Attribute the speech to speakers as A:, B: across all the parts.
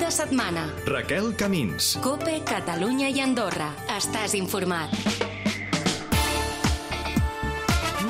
A: de setmana.
B: Raquel Camins.
A: COPE, Catalunya i Andorra. Estàs informat.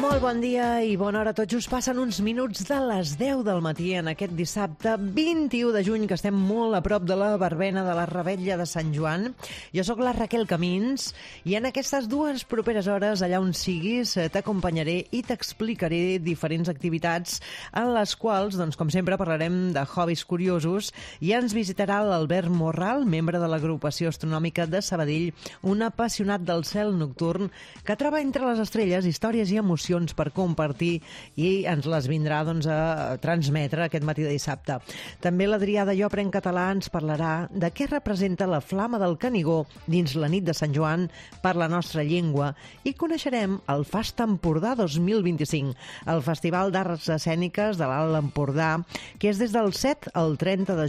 C: Molt bon dia i bona hora. Tot just passen uns minuts de les 10 del matí en aquest dissabte 21 de juny, que estem molt a prop de la verbena de la Revetlla de Sant Joan. Jo sóc la Raquel Camins i en aquestes dues properes hores, allà on siguis, t'acompanyaré i t'explicaré diferents activitats en les quals, doncs, com sempre, parlarem de hobbies curiosos i ens visitarà l'Albert Morral, membre de l'Agrupació Astronòmica de Sabadell, un apassionat del cel nocturn que troba entre les estrelles històries i emocions per compartir i ens les vindrà a transmetre aquest matí de dissabte. També l'Adrià de Jo Aprèn Català ens parlarà de què representa la flama del Canigó dins la nit de Sant Joan per la nostra llengua i coneixerem el FAST Empordà 2025, el Festival d'Arts Escèniques de l'Alt Empordà, que és des del 7 al 30 de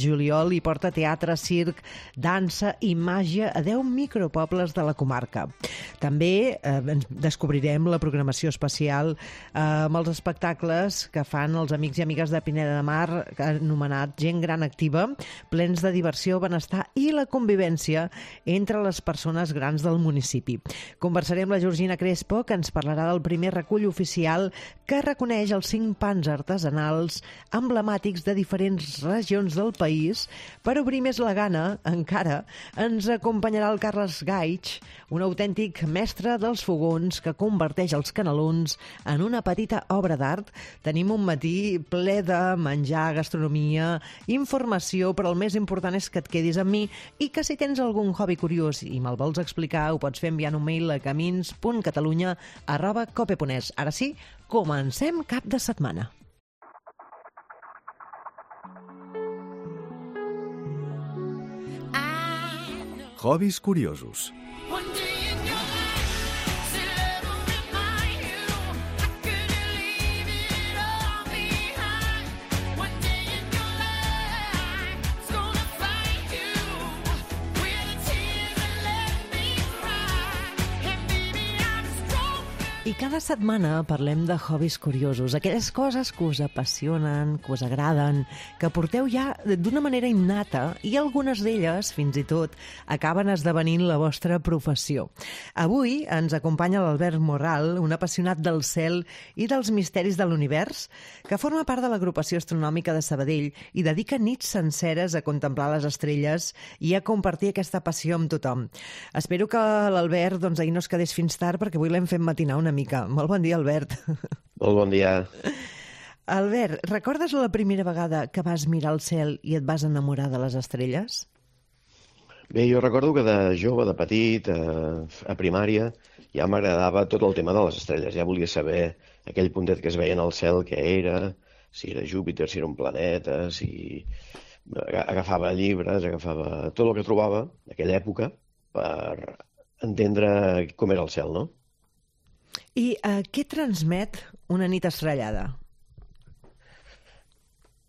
C: juliol i porta teatre, circ, dansa i màgia a 10 micropobles de la comarca. També descobrirem la programació especial amb els espectacles que fan els amics i amigues de Pineda de Mar, anomenat Gent Gran Activa, plens de diversió, benestar i la convivència entre les persones grans del municipi. Conversarem amb la Georgina Crespo, que ens parlarà del primer recull oficial que reconeix els 5 pans artesanals emblemàtics de diferents regions del país. Per obrir més la gana, encara, ens acompanyarà el Carles Gaig, un autèntic mestre dels fogons que converteix els canelons en una petita obra d'art. Tenim un matí ple de menjar, gastronomia, informació, però el més important és que et quedis amb mi i que si tens algun hobby curiós i me'l vols explicar, ho pots fer enviant un mail a camins.catalunya@cope.es. Ara sí, comencem cap de setmana.
B: Hobbies curiosos.
C: I cada setmana parlem de hobbies curiosos, aquelles coses que us apassionen, que us agraden, que porteu ja d'una manera innata i algunes d'elles, fins i tot, acaben esdevenint la vostra professió. Avui ens acompanya l'Albert Morral, un apassionat del cel i dels misteris de l'univers, que forma part de l'Agrupació Astronòmica de Sabadell i dedica nits senceres a contemplar les estrelles i a compartir aquesta passió amb tothom. Espero que l'Albert ahir no es quedés fins tard, perquè avui l'hem fet matinar una mica. Molt bon dia, Albert.
D: Molt bon dia.
C: Albert, recordes la primera vegada que vas mirar el cel i et vas enamorar de les estrelles?
D: Bé, jo recordo que de jove, de petit, a primària, ja m'agradava tot el tema de les estrelles. Ja volia saber aquell puntet que es veia en el cel, què era, si era Júpiter, si era un planeta, si... Agafava llibres, agafava tot el que trobava en aquella època per entendre com era el cel, no?
C: I què transmet una nit estrellada?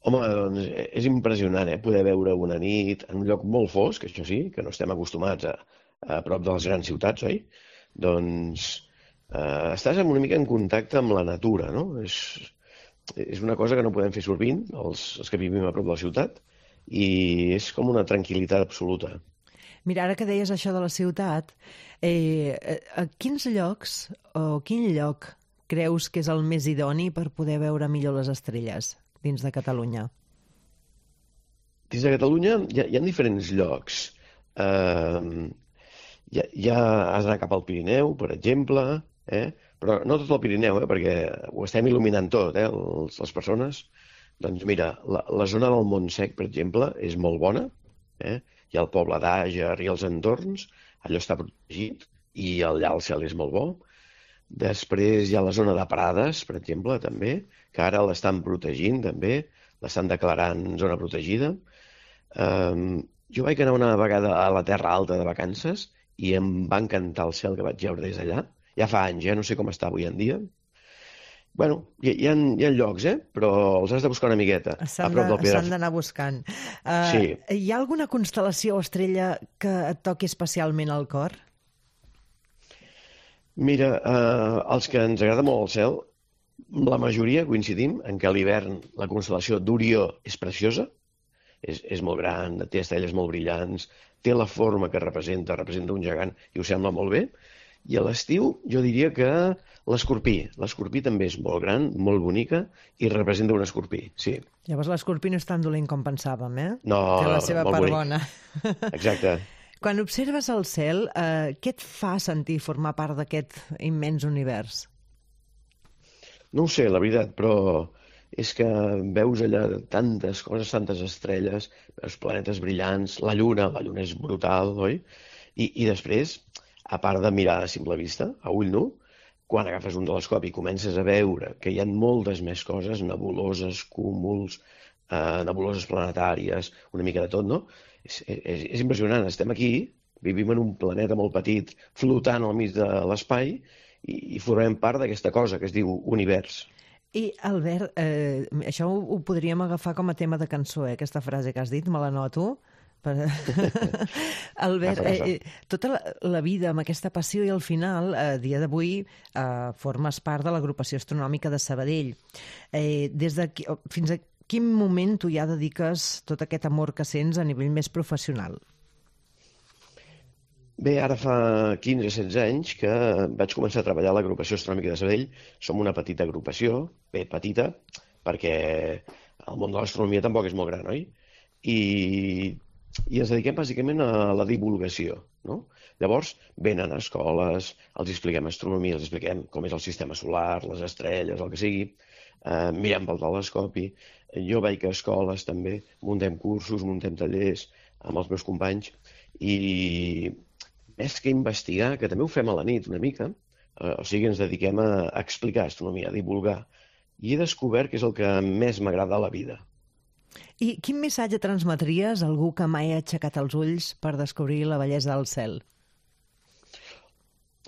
D: Home, doncs és impressionant, poder veure una nit en un lloc molt fosc, això sí, que no estem acostumats a prop de les grans ciutats, oi? Doncs estàs una mica en contacte amb la natura, no? És una cosa que no podem fer sovint, els que vivim a prop de la ciutat, i és com una tranquil·litat absoluta.
C: Mira, ara que deies això de la ciutat, a quins llocs o quin lloc creus que és el més idoni per poder veure millor les estrelles dins de Catalunya?
D: Dins de Catalunya hi ha diferents llocs. Ja has d'anar cap al Pirineu, per exemple, però no tot el Pirineu, perquè ho estem il·luminant tot, les persones. Doncs mira, la zona del Montsec, per exemple, és molt bona, hi ha el poble d'Àger i els entorns, allò està protegit i allà el cel és molt bo. Després hi ha la zona de Prades, per exemple, també, que ara l'estan protegint, també, l'estan declarant zona protegida. Jo vaig anar una vegada a la Terra Alta de vacances i em va encantar el cel que vaig veure des d'allà. Ja fa anys, no sé com està avui en dia. Bueno, hi ha llocs, però els has de buscar una miqueta.
C: S'han d'anar buscant.
D: Sí.
C: Hi ha alguna constel·lació o estrella que et toqui especialment al cor?
D: Mira, els que ens agrada molt el cel, la majoria coincidim en que a l'hivern la constel·lació d'Orió és preciosa, és molt gran, té estrelles molt brillants, té la forma que representa un gegant i ho sembla molt bé. I a l'estiu jo diria que l'escorpí també és molt gran, molt bonica i representa un escorpí, sí.
C: Llavors l'escorpí no és tan dolent com pensàvem, eh?
D: No,
C: té la seva
D: molt
C: part
D: bonic.
C: bona.
D: Exacte.
C: Quan observes el cel, què et fa sentir formar part d'aquest immens univers?
D: No ho sé, la veritat, però és que veus allà tantes coses, tantes estrelles, veus planetes brillants, la lluna és brutal, oi? I després, a part de mirar a simple vista, a ull nu, quan agafes un telescopi i comences a veure que hi ha moltes més coses, nebuloses, cúmuls, nebuloses planetàries, una mica de tot, no? És impressionant. Estem aquí, vivim en un planeta molt petit, flotant al mig de l'espai, i formem part d'aquesta cosa que es diu univers.
C: I, Albert, això ho podríem agafar com a tema de cançó, aquesta frase que has dit, me la noto. Albert, tota la vida amb aquesta passió i al final, a dia d'avui, formes part de l'agrupació astronòmica de Sabadell. Fins a quin moment tu ja dediques tot aquest amor que sents a nivell més professional?
D: Bé, ara fa 15-16 anys que vaig començar a treballar a l'agrupació astronòmica de Sabadell. Som una petita agrupació, bé petita, perquè el món de l'astronomia tampoc és molt gran, oi? I ens dediquem bàsicament a la divulgació, no? Llavors, venen a escoles, els expliquem astronomia, els expliquem com és el sistema solar, les estrelles, el que sigui, mirem pel telescopi. Jo vaig a escoles també, muntem cursos, muntem tallers amb els meus companys, i més que investigar, que també ho fem a la nit una mica, o sigui, ens dediquem a explicar astronomia, a divulgar, i he descobert que és el que més m'agrada a la vida.
C: I quin missatge transmetries a algú que mai ha aixecat els ulls per descobrir la bellesa del cel?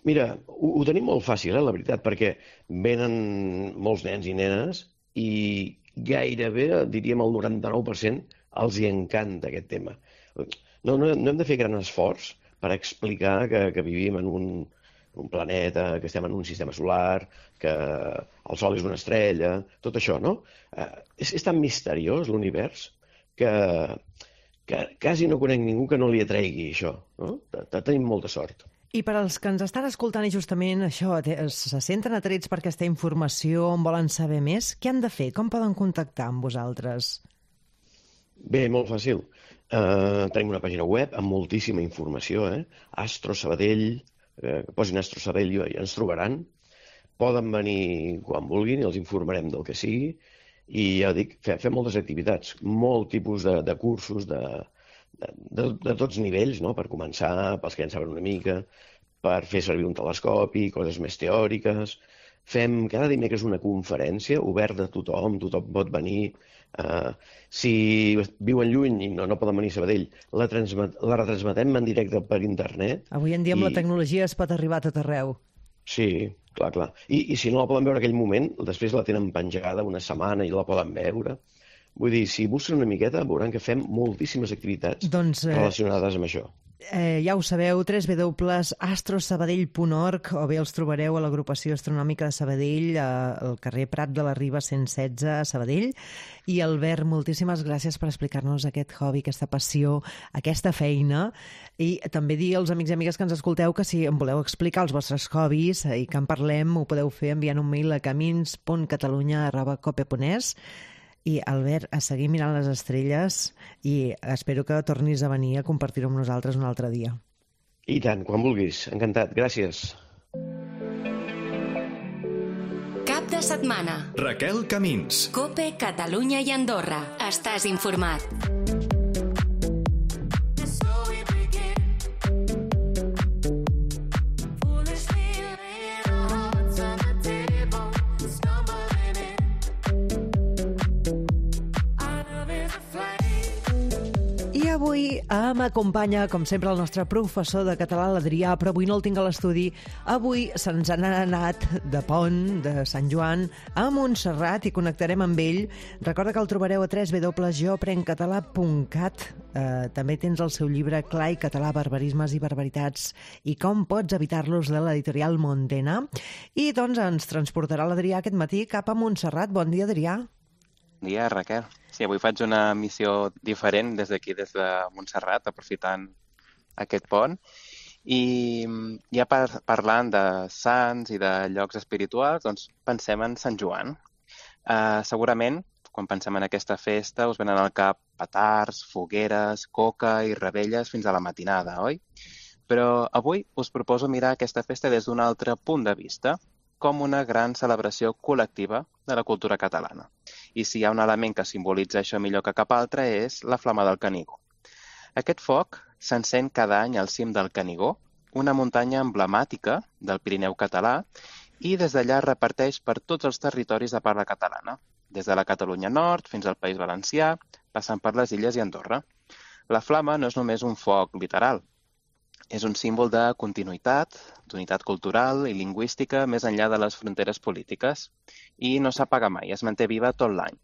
D: Mira, ho tenim molt fàcil, la veritat, perquè venen molts nens i nenes i gairebé, diríem el 99%, els hi encanta aquest tema. No hem de fer gran esforç per explicar que vivim en un planeta, que estem en un sistema solar, que el Sol és una estrella, tot això, no? És tan misteriós l'univers que quasi no conec ningú que no li atregui això, no? Tenim molta sort.
C: I per als que ens estan escoltant i justament això, se senten atrets per aquesta informació, en volen saber més, què han de fer? Com poden contactar amb vosaltres?
D: Bé, molt fàcil. Tenim una pàgina web amb moltíssima informació, Astro Sabadell, posin Astro Sabadell i ens trobaran. Poden venir quan vulguin i els informarem del que sigui. I ja dic, fem moltes activitats, molt tipus de cursos de tots nivells, no? Per començar, pels que en saben una mica, per fer servir un telescopi, coses més teòriques. Fem cada dimecres una conferència oberta a tothom pot venir. Si viuen lluny i no poden venir a Sabadell, la retransmetem en directe per internet.
C: Avui en dia amb la tecnologia es pot arribar a tot arreu.
D: Sí, clar. I si no la poden veure en aquell moment, després la tenen penjada una setmana i la poden veure. Vull dir, si busquen una miqueta, veuran que fem moltíssimes activitats relacionades amb això.
C: Ja ho sabeu, www.astrosabadell.org, o bé els trobareu a l'agrupació astronòmica de Sabadell, al carrer Prat de la Riba 116 a Sabadell. I Albert, moltíssimes gràcies per explicar-nos aquest hobby, aquesta passió, aquesta feina, i també dir als amics i amigues que ens escolteu que si em voleu explicar els vostres hobbies i que en parlem, ho podeu fer enviant un mail a camins.catalunya@cope.es. I, Albert, a seguir mirant les estrelles i espero que tornis a venir a compartir-ho amb nosaltres un altre dia.
D: I tant, quan vulguis. Encantat. Gràcies.
A: Cap de setmana.
B: Raquel Camins.
A: COPE, Catalunya i Andorra. Estàs informat.
C: Avui m'acompanya, com sempre, el nostre professor de català, l'Adrià, però avui no el tinc a l'estudi. Avui se'ns han anat de pont, de Sant Joan, a Montserrat i connectarem amb ell. Recorda que el trobareu a www.joaprencatalà.cat. També tens el seu llibre Clar i català, barbarismes i barbaritats i com pots evitar-los, de l'editorial Montena. I doncs ens transportarà l'Adrià aquest matí cap a Montserrat. Bon dia, Adrià.
E: dia, Raquel. Sí, avui faig una missió diferent des d'aquí, des de Montserrat, aprofitant aquest pont. I ja parlant de sants i de llocs espirituals, doncs pensem en Sant Joan. Segurament, quan pensem en aquesta festa, us venen al cap petards, fogueres, coca i revetlles fins a la matinada, oi? Però avui us proposo mirar aquesta festa des d'un altre punt de vista, com una gran celebració col·lectiva de la cultura catalana. I si hi ha un element que simbolitza això millor que cap altre és la Flama del Canigó. Aquest foc s'encén cada any al cim del Canigó, una muntanya emblemàtica del Pirineu català, i des d'allà es reparteix per tots els territoris de parla catalana, des de la Catalunya Nord fins al País Valencià, passant per les Illes i Andorra. La flama no és només un foc literal, és un símbol de continuïtat, d'unitat cultural i lingüística més enllà de les fronteres polítiques i no s'apaga mai, es manté viva tot l'any.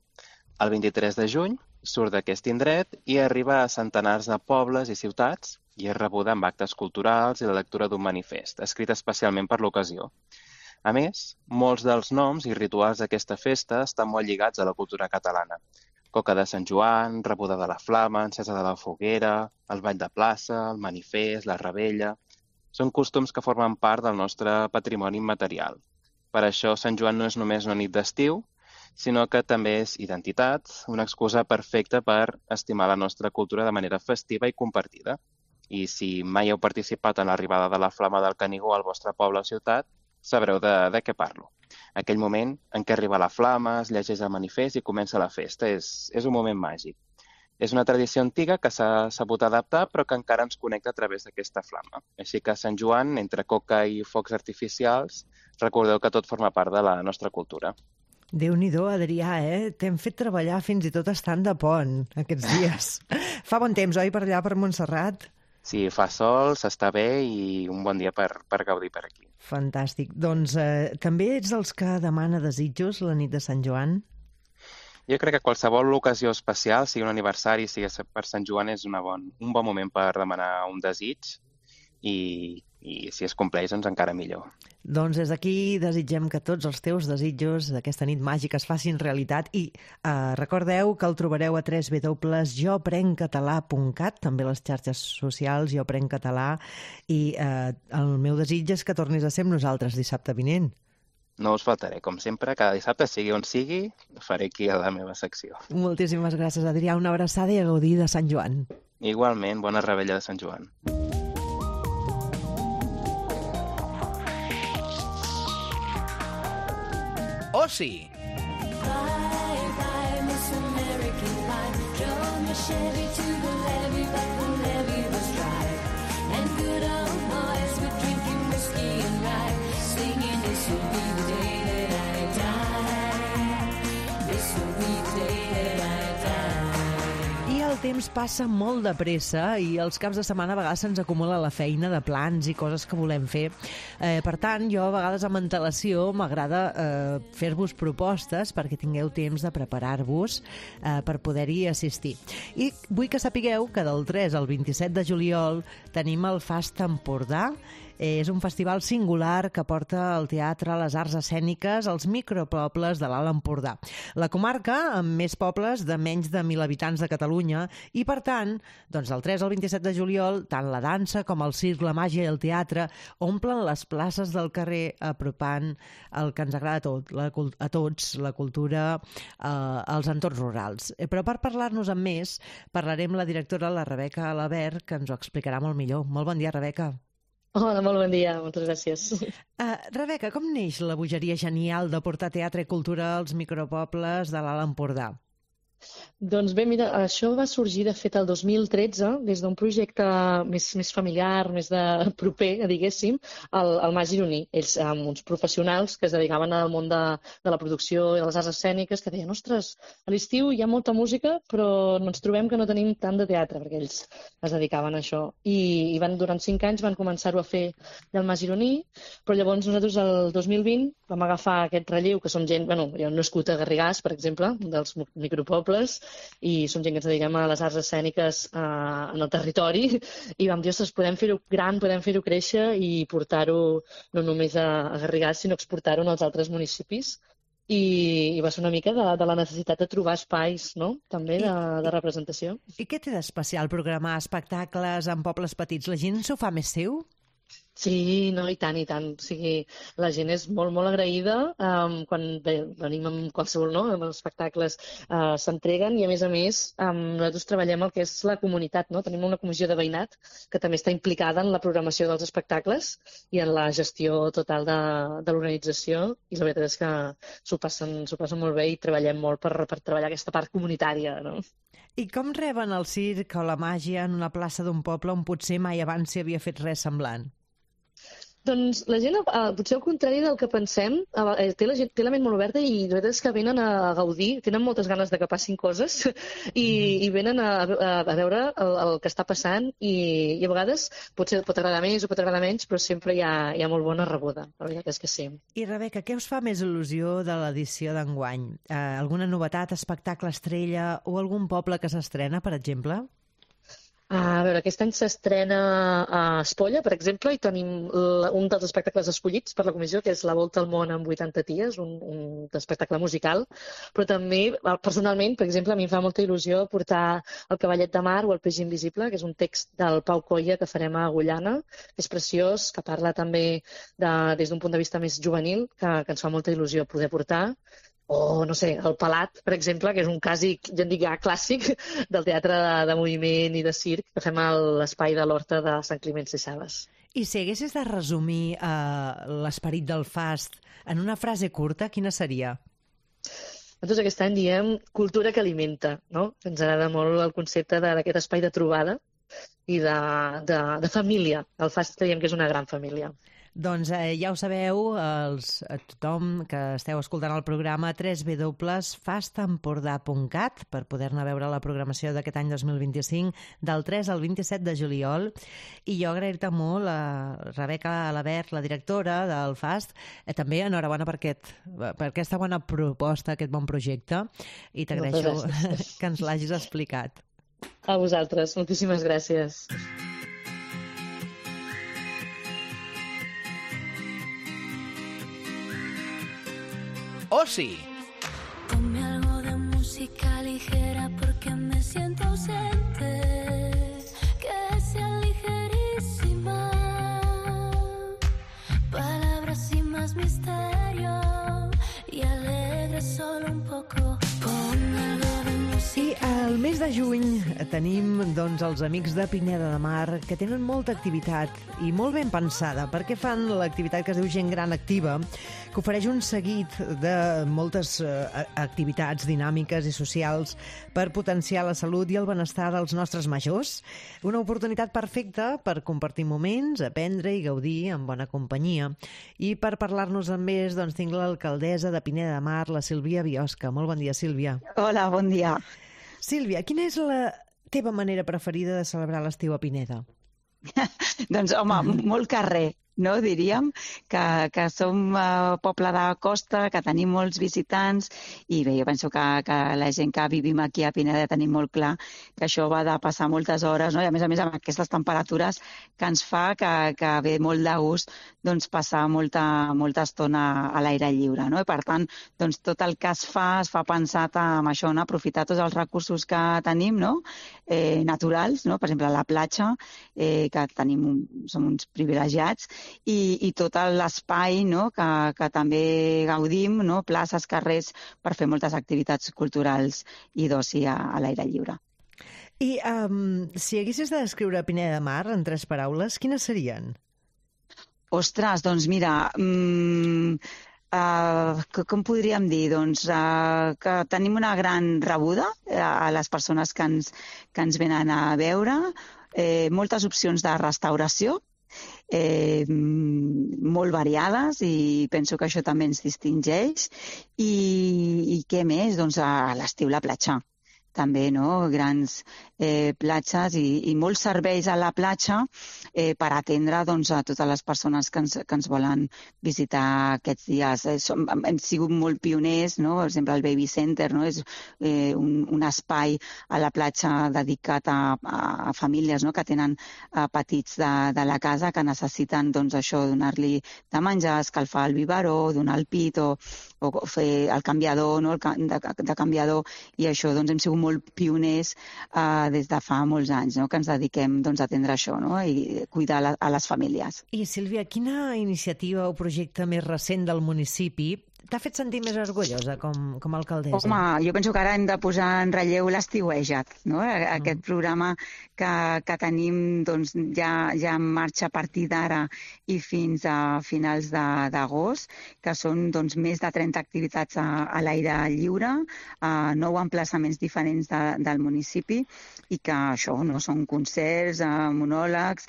E: El 23 de juny surt d'aquest indret i arriba a centenars de pobles i ciutats i és rebuda amb actes culturals i la lectura d'un manifest, escrit especialment per l'ocasió. A més, molts dels noms i rituals d'aquesta festa estan molt lligats a la cultura catalana. Coca de Sant Joan, rebuda de la flama, encesa de la foguera, el ball de plaça, el manifest, la rebella... Són costums que formen part del nostre patrimoni immaterial. Per això Sant Joan no és només una nit d'estiu, sinó que també és identitat, una excusa perfecta per estimar la nostra cultura de manera festiva i compartida. I si mai heu participat en l'arribada de la flama del Canigó al vostre poble o ciutat, sabreu de què parlo. Aquell moment en què arriba la flama, es llegeix el manifest i comença la festa. És un moment màgic. És una tradició antiga que s'ha sabut adaptar però que encara ens connecta a través d'aquesta flama. Així que Sant Joan, entre coca i focs artificials, recordeu que tot forma part de la nostra cultura.
C: Déu-n'hi-do, Adrià, T'hem fet treballar fins i tot estant de pont aquests dies. Fa bon temps, oi, per allà, per Montserrat?
E: Sí, fa sol, s'està bé i un bon dia per gaudir per aquí.
C: Fantàstic. Doncs també ets dels que demana desitjos la nit de Sant Joan?
E: Jo crec que qualsevol ocasió especial, sigui un aniversari, sigui per Sant Joan, és un bon moment per demanar un desig i si es compleix, doncs encara millor.
C: Doncs des d'aquí desitgem que tots els teus desitjos d'aquesta nit màgica es facin realitat i recordeu que el trobareu a www.joprencatalà.cat, també a les xarxes socials Jo Prenc Català, i el meu desig és que tornis a ser amb nosaltres dissabte vinent.
E: No us faltaré, com sempre, cada dissabte, sigui on sigui, faré aquí a la meva secció.
C: Moltíssimes gràcies, Adrià. Una abraçada i a gaudir de Sant Joan.
E: Igualment, bona rebella de Sant Joan.
B: Oci.
F: Bye, bye, Miss American Pie. Drove my Chevy to the levee, but the levee was dry. And good old boys were drinking whiskey and rye, singing, this will be the day that I die. This will be the day that I die.
C: I el temps passa molt de pressa i els caps de setmana a vegades se'ns acumula la feina de plans i coses que volem fer. Per tant, jo a vegades amb antelació m'agrada fer-vos propostes perquè tingueu temps de preparar-vos per poder-hi assistir. I vull que sapigueu que del 3 al 27 de juliol tenim el Fast Empordà. És un festival singular que porta el teatre, les arts escèniques, als micropobles de l'Alt Empordà. La comarca amb més pobles de menys de 1.000 habitants de Catalunya i, per tant, doncs del 3 al 27 de juliol, tant la dansa com el circ, la màgia i el teatre omplen les places del carrer apropant el que ens agrada a tots, la cultura, als entorns rurals. Però per parlar-nos amb més, parlarem amb la directora, la Rebeca Alabert, que ens ho explicarà molt millor. Molt bon dia, Rebeca.
G: Hola, molt bon dia, moltes gràcies.
C: Rebeca, com neix la bogeria genial de portar teatre i cultura als micropobles de l'Alt Empordà?
G: Doncs bé, mira, això va sorgir de fet el 2013 des d'un projecte més familiar, més de proper, diguéssim, al Mas Gironí. Ells, amb uns professionals que es dedicaven al món de la producció i de les arts escèniques, que deien, ostres, a l'estiu hi ha molta música, però ens trobem que no tenim tant de teatre, perquè ells es dedicaven a això. I durant 5 anys van començar-ho a fer del Mas Gironí, però llavors nosaltres el 2020 vam agafar aquest relleu, que som gent, jo he nascut a Garrigàs, per exemple, dels micropobles, i som gent que ens dediquem a les arts escèniques en el territori i vam dir, ostres, podem fer-ho gran, podem fer-ho créixer i portar-ho no només a Garrigàs, sinó exportar-ho als altres municipis. i va ser una mica de la necessitat de trobar espais, no?, també de representació.
C: I què té d'especial programar espectacles en pobles petits? La gent s'ho fa més seu?
G: Sí, no, i tant, i tant. O sigui, la gent és molt, molt agraïda quan venim amb qualsevol, no?, amb els espectacles s'entreguen i, a més, nosaltres treballem el que és la comunitat, no? Tenim una comissió de veïnat que també està implicada en la programació dels espectacles i en la gestió total de l'organització, i la veritat és que s'ho passen molt bé i treballem molt per treballar aquesta part comunitària, no?
C: I com reben el circ o la màgia en una plaça d'un poble on potser mai abans s'hi havia fet res semblant?
G: Doncs la gent, potser al contrari del que pensem, té la ment molt oberta i la veritat és que venen a gaudir, tenen moltes ganes de que passin coses i venen a veure el que està passant i a vegades potser pot agradar més o pot agradar menys, però sempre hi ha molt bona rebuda, la veritat és que sí.
C: I Rebeca, què us fa més il·lusió de l'edició d'enguany? Alguna novetat, espectacle estrella o algun poble que s'estrena, per exemple?
G: A veure, aquest any s'estrena a Espolla, per exemple, i tenim un dels espectacles escollits per la comissió, que és La Volta al món en 80 dies, un espectacle musical, però també, personalment, per exemple, a mi em fa molta il·lusió portar El cavallet de mar o El peix invisible, que és un text del Pau Coia que farem a Agullana, que és preciós, que parla també des d'un punt de vista més juvenil, que ens fa molta il·lusió poder portar. O, no sé, El Pelat, per exemple, que és un clàssic del teatre de moviment i de circ que fem a l'espai de l'Horta de Sant Climent Sescebes.
C: I si haguessis de resumir l'esperit del FAST en una frase curta, quina seria?
G: Nosaltres aquest any diem cultura que alimenta, no? Ens agrada molt el concepte d'aquest espai de trobada i de família. El FAST creiem que és una gran família.
C: Doncs ja ho sabeu, tothom que esteu escoltant el programa, www.fastempordà.cat per poder-ne veure la programació d'aquest any 2025 del 3 al 27 de juliol. I jo agrair-te molt a Rebeca Alabert, la directora del FAST, també enhorabona per aquesta bona proposta, aquest bon projecte, i t'agraeixo que ens l'hagis explicat.
G: A vosaltres, moltíssimes gràcies.
B: Oci.
F: Ponme algo de música ligera porque me siento ausente. Que sea ligerísima. Palabras sin más misterio y alegre solo un poco. Ponme algo de música.
C: I al mes de juny tenim els amics de Pineda de Mar que tenen molta activitat i molt ben pensada perquè fan l'activitat que es diu Gent Gran Activa, que ofereix un seguit de moltes activitats dinàmiques i socials per potenciar la salut i el benestar dels nostres majors. Una oportunitat perfecta per compartir moments, aprendre i gaudir en bona companyia. I per parlar-nos amb més, tinc l'alcaldessa de Pineda de Mar, la Sílvia Biosca. Molt bon dia, Sílvia.
H: Hola, bon dia.
C: Sílvia, quina és la teva manera preferida de celebrar l'estiu a Pineda?
H: Doncs, home, molt carrer, no? Diríem que som poble de costa, que tenim molts visitants i bé, jo penso que la gent que vivim aquí a Pineda tenim molt clar que això va de passar moltes hores, no? I a més amb aquestes temperatures que ens fa que ve molt de gust passar molta estona a l'aire lliure, no? I per tant, tot el que es fa pensat en això, no? Aprofitar tots els recursos que tenim, no? Naturals, no? Per exemple, la platja, que som uns privilegiats, i tot l'espai, no? que també gaudim, no? Places, carrers, per fer moltes activitats culturals i d'oci a l'aire lliure.
C: I si haguessis de descriure Pineda de Mar en 3 paraules, quines serien?
H: Ostres, doncs mira, com podríem dir? Que tenim una gran rebuda a les persones que ens venen a veure, moltes opcions de restauració, molt variades, i penso que això també ens distingeix. I què més? A l'estiu la platja. també, no? Grans platges i molts serveis a la platja per atendre doncs, a totes les persones que ens volen visitar aquests dies. Hem sigut molt pioners, no? Per exemple, el Baby Center, no? És un espai a la platja dedicat a famílies, no? Que tenen petits de la casa que necessiten doncs, això, donar-li de menjar, escalfar el biberó, donar el pit o fer el canviador, no? de canviador, i això doncs, hem sigut molt pioners des de fa molts anys, no? Que ens dediquem doncs, a atendre això, no? I cuidar a les famílies.
C: I Sílvia, quina iniciativa o projecte més recent del municipi t'ha fet sentir més orgullosa com a alcaldessa?
H: Home, jo penso que ara hem de posar en relleu l'Estiueja't, no? Aquest programa que tenim doncs, ja en marxa a partir d'ara i fins a finals d'agost, que són doncs, més de 30 activitats a l'aire lliure, 9 emplaçaments diferents del municipi, i que això no són concerts, monòlegs,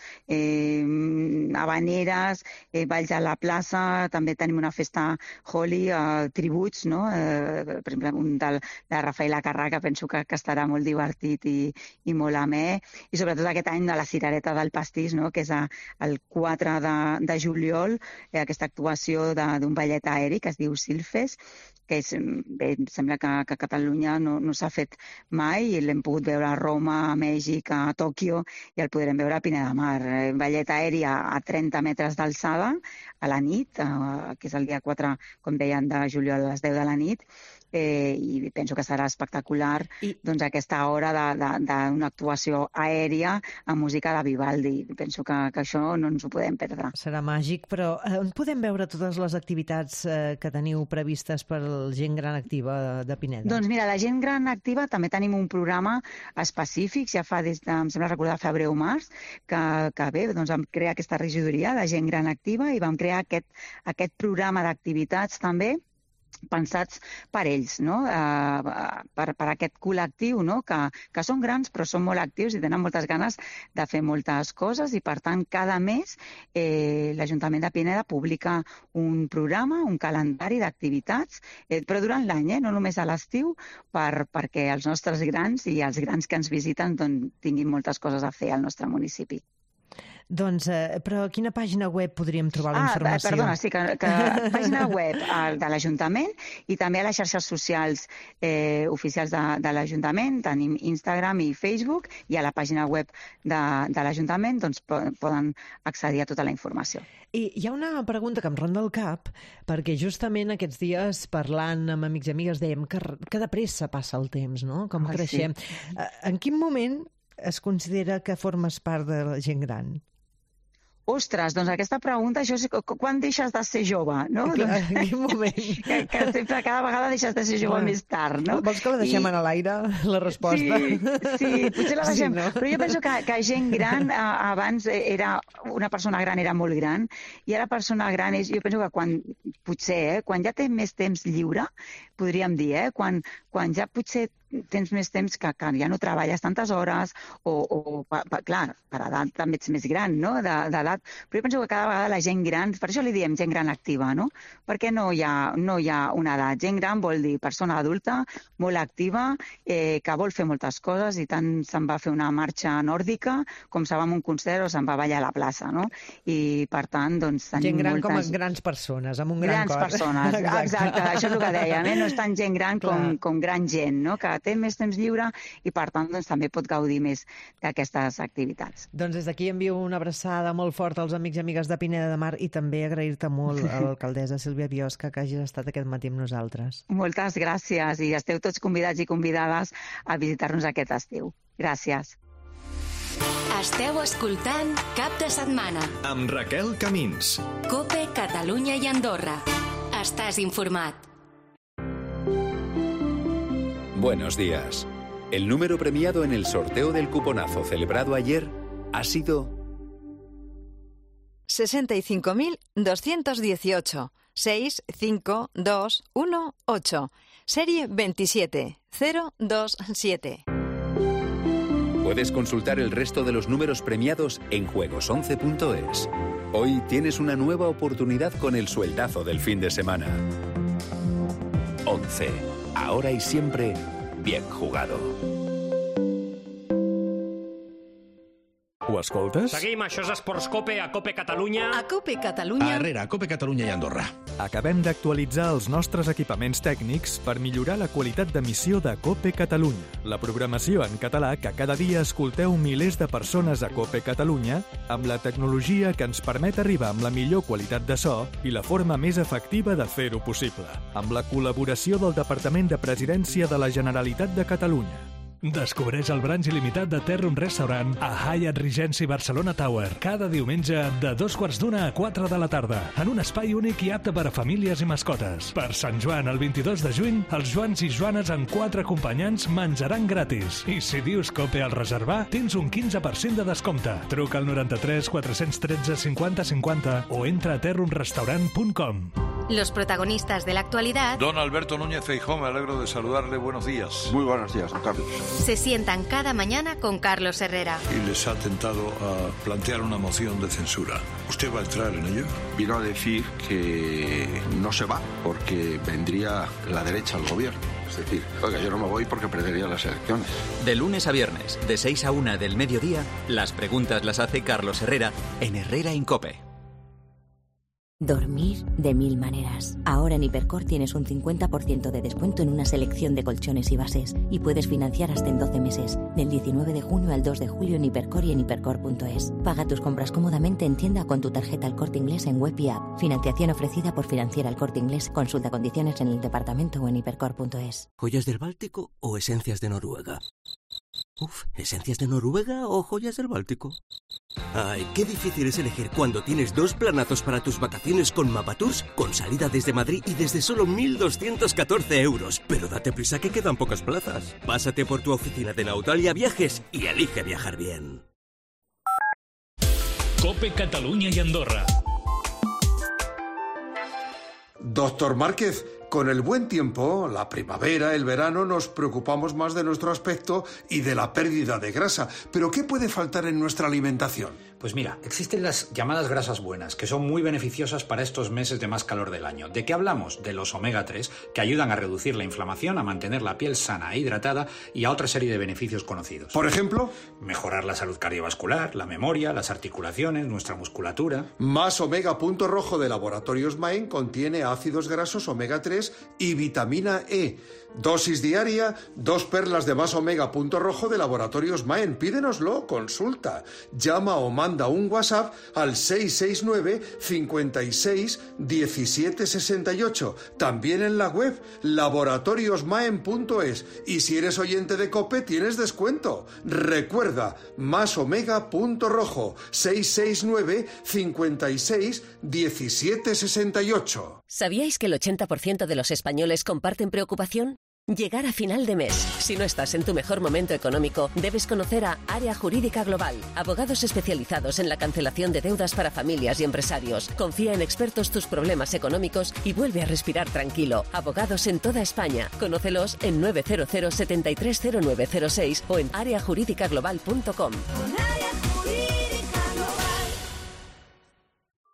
H: habaneres, balls a la plaça, també tenim una festa Holi, tributs, no? Per exemple, un de Rafaela Carrà, que penso que estarà molt divertit i molt amè, i sobretot aquest any de la Cirereta del Pastís, no? Que és el 4 de juliol, aquesta actuació d'un ballet aeri que es diu Silfes, que em sembla que a Catalunya no s'ha fet mai, i l'hem pogut veure a Roma, a Mèxic, a Tòquio, i el podrem veure a Pineda de Mar. Ballet aeri a 30 metres d'alçada, a la nit, que és el dia 4, com deien, de juliol a les 10 de la nit, i penso que serà espectacular doncs, aquesta hora d'una actuació aèria amb música de Vivaldi. Penso que això no ens ho podem perdre.
C: Serà màgic, però on podem veure totes les activitats que teniu previstes per la gent gran activa de Pineda?
H: Doncs mira, la gent gran activa també tenim un programa específic, ja fa des de, em sembla recordar, febrer o març, que bé, doncs vam crear aquesta regidoria de gent gran activa i vam crear aquest programa d'activitats també pensats per ells, no? Per aquest col·lectiu, no? Que són grans però són molt actius i tenen moltes ganes de fer moltes coses, i per tant cada mes l'Ajuntament de Pineda publica un programa, un calendari d'activitats, però durant l'any, no només a l'estiu, perquè els nostres grans i els grans que ens visiten tinguin moltes coses a fer al nostre municipi.
C: Doncs, però a quina pàgina web podríem trobar la informació?
H: Perdona, sí, que pàgina web de l'Ajuntament i també a les xarxes socials oficials de l'Ajuntament, tenim Instagram i Facebook, i a la pàgina web de l'Ajuntament doncs, poden accedir a tota la informació.
C: I hi ha una pregunta que em ronda el cap, perquè justament aquests dies, parlant amb amics i amigues, dèiem que de pressa passa el temps, no? Com creixem. Sí. En quin moment es considera que formes part de la gent gran?
H: Ostres, doncs aquesta pregunta, això és quan deixes de ser jove, no?
C: Clar, en quin moment?
H: Que sempre, cada vegada deixes de ser jove més tard, no?
C: Vols que la deixem a l'aire, la resposta?
H: Sí, potser la deixem.
C: Sí, no?
H: Però jo penso que gent gran, abans una persona gran era molt gran, i ara persona gran és, jo penso que quan ja té més temps lliure, podríem dir, quan ja potser tens més temps que ja no treballes tantes hores, clar, per edat també ets més gran, no?, d'edat, però jo penso que cada vegada la gent gran, per això li diem gent gran activa, no? Perquè no hi ha una edat. Gent gran vol dir persona adulta, molt activa, que vol fer moltes coses, i tant se'n va fer una marxa nòrdica, com se'n va a un concert o se'n va a ballar a la plaça, no? I per tant, doncs, tenim
C: gent gran
H: moltes...
C: com a grans persones, amb un gran cor.
H: Grans persones, exacte, això és el que dèiem, no és tant gent gran com gran gent, no? Que té més temps lliure i, per tant, doncs, també pot gaudir més d'aquestes activitats.
C: Doncs des d'aquí envio una abraçada molt forta als amics i amigues de Pineda de Mar, i també agrair-te molt a l'alcaldessa Sílvia Biosca que hagis estat aquest matí amb nosaltres.
H: Moltes gràcies, i esteu tots convidats i convidades a visitar-nos aquest estiu. Gràcies.
A: Esteu escoltant Cap de Setmana
B: Amb Raquel Camins.
A: COPE Catalunya i Andorra. Estàs informat.
I: Buenos días. El número premiado en el sorteo del cuponazo celebrado ayer ha sido
J: 65.218 65218, serie 27027.
I: Puedes consultar el resto de los números premiados en juegos11.es. Hoy tienes una nueva oportunidad con el sueldazo del fin de semana. 11. Ahora y siempre, bien jugado.
B: Ho escoltes?
K: Seguim, això és Esports Cope, a Cope Catalunya.
J: A Cope Catalunya.
L: A Herrera, a Cope Catalunya i Andorra.
B: Acabem d'actualitzar els nostres equipaments tècnics per millorar la qualitat d'emissió de Cope Catalunya, la programació en català que cada dia escolteu milers de persones a Cope Catalunya, amb la tecnologia que ens permet arribar amb la millor qualitat de so i la forma més efectiva de fer-ho possible, amb la col·laboració del Departament de Presidència de la Generalitat de Catalunya.
M: Descobreix el brunch il·limitat de Terrum Restaurant a Hyatt Regency Barcelona Tower cada diumenge de 2:15 a 4 de la tarda en un espai únic i apte per a famílies i mascotes. Per Sant Joan, el 22 de juny, els Joans i Joanes amb 4 acompanyants menjaran gratis. I si dius Cope al reservar, tens un 15% de descompte. Truca al 93 413 50 50 o entra a terrumrestaurant.com.
A: Los protagonistas de la actualidad
N: Don Alberto Núñez Feijóo, me alegro de saludarle. Buenos días.
O: Muy buenos días, don Carlos.
A: se sientan cada mañana con Carlos Herrera.
N: Y les ha tentado a plantear una moción de censura. ¿Usted va a entrar en ello?
O: Vino a decir que no se va porque vendría la derecha al gobierno. Es decir, oiga, yo no me voy porque perdería las elecciones.
P: De lunes a viernes, de 6 a 1 del mediodía, las preguntas las hace Carlos Herrera en Herrera en COPE.
Q: Dormir de 1000 maneras. Ahora en Hipercor tienes un 50% de descuento en una selección de colchones y bases y puedes financiar hasta en 12 meses, del 19 de junio al 2 de julio en Hipercor y en hipercor.es. Paga tus compras cómodamente en tienda con tu tarjeta El Corte Inglés en web y app. Financiación ofrecida por Financiera El Corte Inglés. Consulta condiciones en el departamento o en hipercor.es.
R: ¿Joyas del Báltico o esencias de Noruega? ¿Esencias de Noruega o joyas del Báltico? Ay, qué difícil es elegir cuando tienes dos planazos para tus vacaciones con Mapatours, con salida desde Madrid y desde solo 1.214 euros. Pero date prisa que quedan pocas plazas. Pásate por tu oficina de Nautalia Viajes y elige viajar bien.
M: COPE Cataluña y Andorra.
S: Doctor Márquez, con el buen tiempo, la primavera, el verano, nos preocupamos más de nuestro aspecto y de la pérdida de grasa. ¿Pero qué puede faltar en nuestra alimentación?
T: Pues mira, existen las llamadas grasas buenas, que son muy beneficiosas para estos meses de más calor del año. ¿De qué hablamos? De los omega 3, que ayudan a reducir la inflamación, a mantener la piel sana e hidratada y a otra serie de beneficios conocidos.
S: ¿Por ejemplo?
T: Mejorar la salud cardiovascular, la memoria, las articulaciones, nuestra musculatura.
S: Más Omega Punto Rojo de Laboratorios Maen contiene ácidos grasos omega 3 y vitamina E. Dosis diaria, 2 perlas de Más Omega Punto Rojo de Laboratorios Maen. Pídenoslo, consulta. Llama o manda un WhatsApp al 669 56 17 68. También en la web laboratoriosmaen.es. Y si eres oyente de COPE tienes descuento. Recuerda, Más Omega Punto Rojo, 669 56 17 68.
U: ¿Sabíais que el 80% de los españoles comparten preocupación? Llegar a final de mes. Si no estás en tu mejor momento económico, debes conocer a Área Jurídica Global, abogados especializados en la cancelación de deudas para familias y empresarios. Confía en expertos tus problemas económicos y vuelve a respirar tranquilo. Abogados en toda España. Conócelos en 900 730906 o en areajurídicaglobal.com.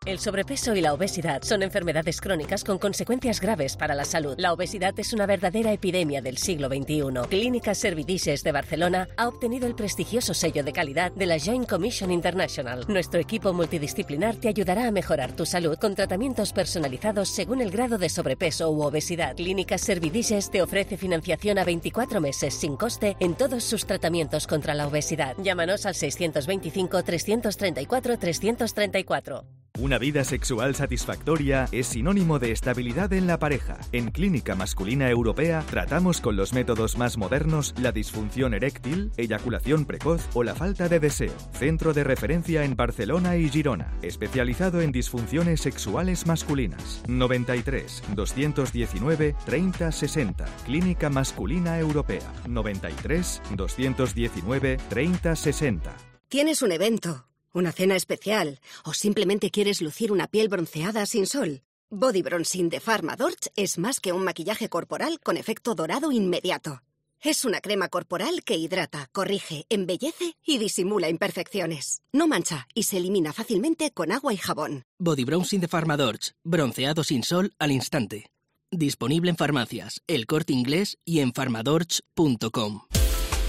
U: El sobrepeso y la obesidad son enfermedades crónicas con consecuencias graves para la salud. La obesidad es una verdadera epidemia del siglo XXI. Clínica Servidices de Barcelona ha obtenido el prestigioso sello de calidad de la Joint Commission International. Nuestro equipo multidisciplinar te ayudará a mejorar tu salud con tratamientos personalizados según el grado de sobrepeso u obesidad. Clínica Servidices te ofrece financiación a 24 meses sin coste en todos sus tratamientos contra la obesidad. Llámanos al 625 334 334.
B: Una vida sexual satisfactoria es sinónimo de estabilidad en la pareja. En Clínica Masculina Europea tratamos con los métodos más modernos la disfunción eréctil, eyaculación precoz o la falta de deseo. Centro de referencia en Barcelona y Girona, especializado en disfunciones sexuales masculinas. 93 219 30 60. Clínica Masculina Europea. 93 219 30 60.
V: ¿Tienes un evento? ¿Una cena especial? ¿O simplemente quieres lucir una piel bronceada sin sol? Body Bronzing de Pharmadorch es más que un maquillaje corporal con efecto dorado inmediato. Es una crema corporal que hidrata, corrige, embellece y disimula imperfecciones. No mancha y se elimina fácilmente con agua y jabón.
W: Body Bronzing de Pharmadorch. Bronceado sin sol al instante. Disponible en farmacias, El Corte Inglés y en pharmadorch.com.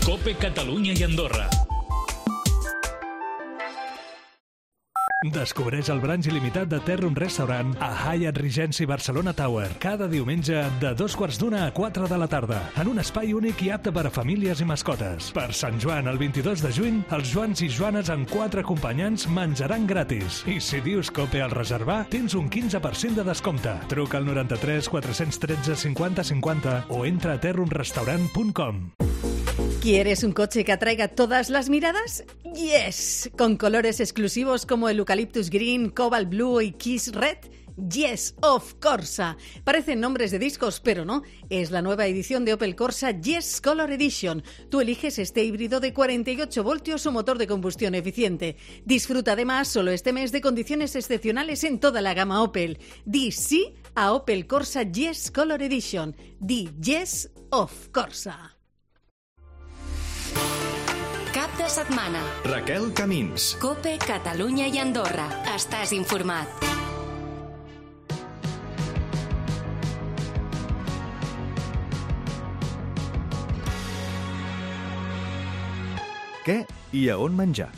M: COPE Catalunya y Andorra. Descobreix el brunch il·limitat de Terrum Restaurant a Hyatt Regency Barcelona Tower cada diumenge de 2:15 a 4 de la tarda en un espai únic i apte per a famílies i mascotes. Per Sant Joan, el 22 de juny, els Joans i Joanes amb 4 acompanyants menjaran gratis. I si dius COPE al reservar, tens un 15% de descompte. Truca al 93 413 50 50 o entra a terrumrestaurant.com.
D: ¿Quieres un coche que atraiga todas las miradas? ¡Yes! Con colores exclusivos como el Eucalyptus Green, Cobalt Blue y Kiss Red. Yes, of Corsa. Parecen nombres de discos, pero no. Es la nueva edición de Opel Corsa Yes Color Edition. Tú eliges este híbrido de 48 voltios o motor de combustión eficiente. Disfruta además solo este mes de condiciones excepcionales en toda la gama Opel. Di sí a Opel Corsa Yes Color Edition. Di Yes of Corsa.
A: Cap de setmana.
B: Raquel Camins.
A: COPE, Catalunya i Andorra. Estàs informat.
B: Què i a on menjar?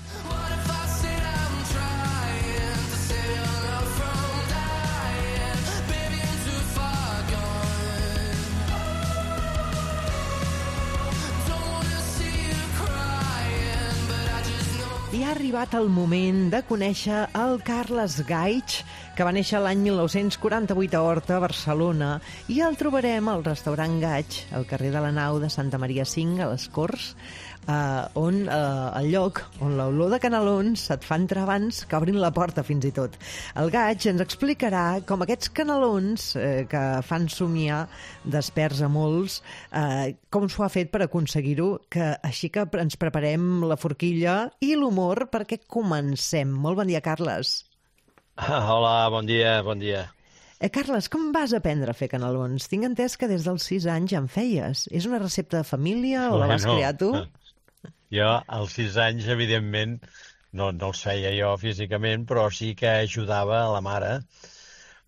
C: I ha arribat el moment de conèixer el Carles Gaig, que va néixer l'any 1948 a Horta, Barcelona, i el trobarem al restaurant Gaig, al carrer de la Nau de Santa Maria 5, a les Corts, el lloc on l'olor de canelons et fa entrar abans que obrin la porta, fins i tot. El Gaig ens explicarà com aquests canelons que fan somiar desperts a molts, com s'ho ha fet per aconseguir-ho, que així que ens preparem la forquilla i l'humor perquè comencem. Molt bon dia, Carles.
E: Hola, bon dia, bon dia.
C: Carles, com vas aprendre a fer canelons? Tinc entès que des dels 6 anys ja en feies. És una recepta de família o la vas crear tu?
E: Jo, als 6 anys, evidentment, no els feia jo físicament, però sí que ajudava a la mare,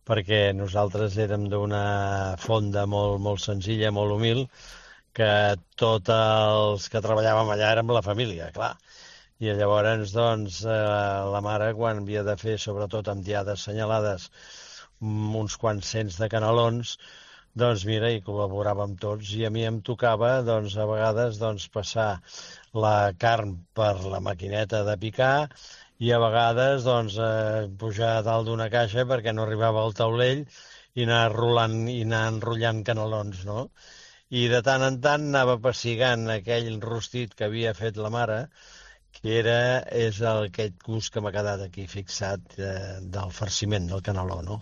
E: perquè nosaltres érem d'una fonda molt, molt senzilla, molt humil, que tots els que treballàvem allà érem la família, clar. I llavors, doncs, la mare, quan havia de fer, sobretot amb diades senyalades, uns quants cents de canelons, doncs mira, hi col·laboràvem tots, i a mi em tocava, doncs, a vegades, doncs, passar la carn per la maquineta de picar i a vegades, doncs, pujar a dalt d'una caixa perquè no arribava al taulell i anar rolant i anar enrotllant canelons, no? I de tant en tant anava pessigant aquell rostit que havia fet la mare, que és aquest gust que m'ha quedat aquí fixat del farciment del caneló, no?